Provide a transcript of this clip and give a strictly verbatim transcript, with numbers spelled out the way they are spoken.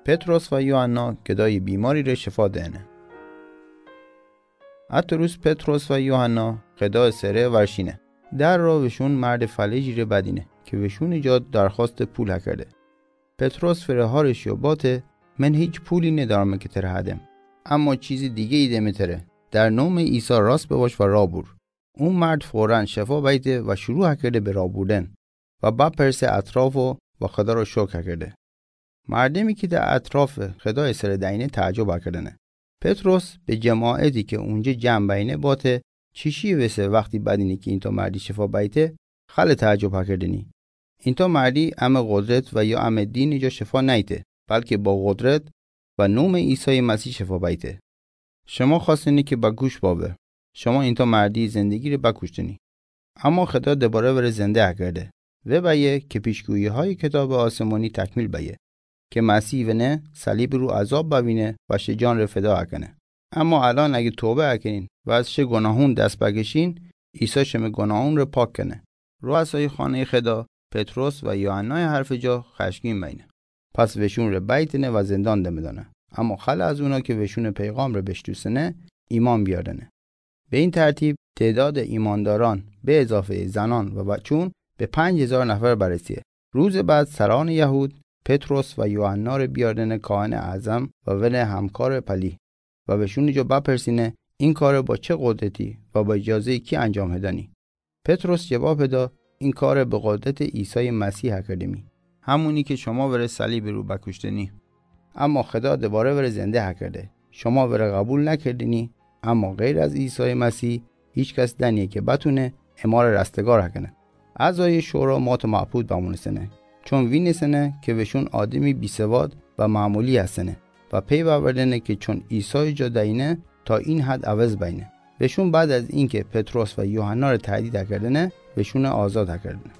Petros wa Yohanna kedayi bimari re shefa dene. Ato ruz Petros wa Yohanna kedayi sere warshine. Dar ro veshun marde faliji re badine ke veshuni ja darxoste pul hakerde. Petros fere harish yo bate: Men hich puli nedarme ke tere hadem. Ama chizi dige ideme tere. Dar nome Isa rast bewash wa ra bur. Un mard foran shefa bayte wa shuru hakerde be ra burden. Wa baperse atrafo wa Xeda ro shok hakerde. Mardemi ke de atrafe Xeda sere daine taajob hakerdene. Petros be jemaeti ke unje jam bayne bate: Chishi wese waxti badine ke inta mardi shefa bayte, xale taajob hakerdeni. Inta mardi ame qodret wa ya ame dini ja shefa naite, balke ba qodret wa nome Isai Masi shefa bayte. Shema xwasteni ke ba gush bawe. Shema inta mardi zendegi re ba kushteni. Ama Xeda debare were zende hakerde. We baye ke pishguihaye kitabe asemoni takmil baye. Ke Masi wene salib ru azab bawine wa she jan re feda hakene. Ama alan agi tobe hakenin wa az she gunahun dast bakeshin, Isa sheme gunahun re pak kene. Ruasai xane Xeda, Petros wa Yohanna harfe ja xashgin bayne. Pas veshun re baitene wa zendan demedane. Ama xale az una ke veshune peygamre beshtusene, iman biardene. Be in tertib, tedade imandaran, be ezafe zanan wa bachun, be panc hezar nafar baresiye. Ruze bad sarane Yahud, Petros wa Yohanna re biardene kahene azam wa wene hamkare pali. Wa veshuni ja bapersine, in kare ba che qodreti wa ba ijaze ki anjam hedani. Petros jebab heda, in kare be qodrete Isai Masi hakerdemi. Hamuni ke shoma were salibe ru bakushteni. Ama Xeda debare were zende hakerde. Shoma were qabul nakerdeni, ama gheyr az Isai Masi, hich kas daniye ke batune, emare rastegar hakene. Azaye shora mate mabud bamunesene. Chon winesene ke veshun ademi bisewad wa mamuli hasene. Wa pey bawerdene ke chon Isai ja daine, ta in had awez bayne. Veshun bad az inke Petros wa Yohanna re tahdid hakerdene, veshune azad hakerdene.